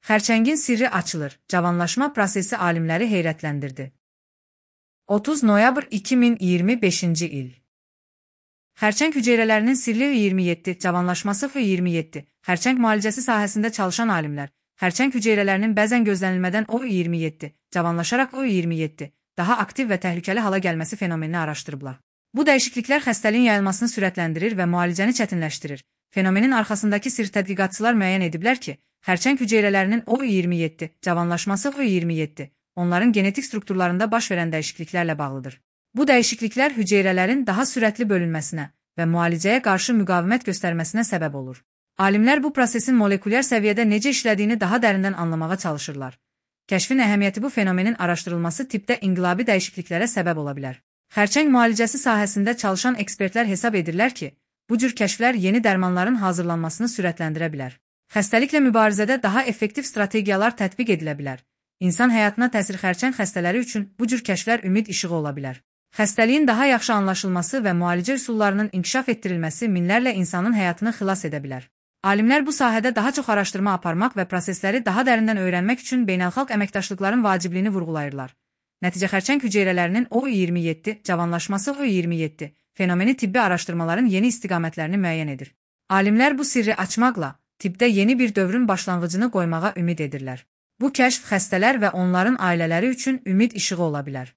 Xərçəngin sirri açılır. Cavanlaşma prosesi alimləri heyrətləndirdi. 30 noyabr 2025-ci il. Xərçəng hüceyrələrinin sirli 27, cavanlaşması 27. Xərçəng müalicəsi sahəsində çalışan alimlər, xərçəng hüceyrələrinin bəzən gözlənilmədən O27, cavanlaşaraq O27, daha aktiv və təhlükəli hala gəlməsi fenomenini araşdırıblar. Bu dəyişikliklər xəstəliyin yayılmasını sürətləndirir və müalicəni çətinləşdirir. Fenomenin arxasındakı sirr tədqiqatçılar müəyyən ediblər ki, xərçəng hüceyrələrinin O27, cavanlaşması O27, onların genetik strukturlarında baş verən dəyişikliklərlə bağlıdır. Bu dəyişikliklər hüceyrələrin daha sürətli bölünməsinə və müalicəyə qarşı müqavimət göstərməsinə səbəb olur. Alimlər bu prosesin molekulyar səviyyədə necə işlədiyini daha dərindən anlamağa çalışırlar. Kəşfin əhəmiyyəti bu fenomenin araşdırılması tippdə inqilabi dəyişikliklərə səbəb ola bilər. Xərçəng müalicəsi sahəsində çalışan ekspertlər hesab edirlər ki, bu cür kəşflər yeni dərmanların hazırlanmasını sürətləndirə bilər. Xəstəliklə mübarizədə daha effektiv strategiyalar tətbiq edilə bilər. İnsan həyatına təsir xərçəng xəstələri üçün bu cür kəşflər ümid işığı ola bilər. Xəstəliyin daha yaxşı anlaşılması və müalicə üsullarının inkişaf etdirilməsi minlərlə insanın həyatını xilas edə bilər. Alimlər bu sahədə daha çox araşdırma aparmaq və prosesləri daha dərindən öyrənmək üçün beynəlxalq əməkdaşlıqların vacibliyini vurğulayırlar. Nəticə xərçəng hüceyrələrinin O27, cavanlaşması O27 fenomeni tibbi araşdırmaların yeni istiqamətlərini müəyyən edir. Alimlər bu sirri açmaqla tibbdə yeni bir dövrün başlanğıcını qoymağa ümid edirlər. Bu kəşf xəstələr və onların ailələri üçün ümid işığı ola bilər.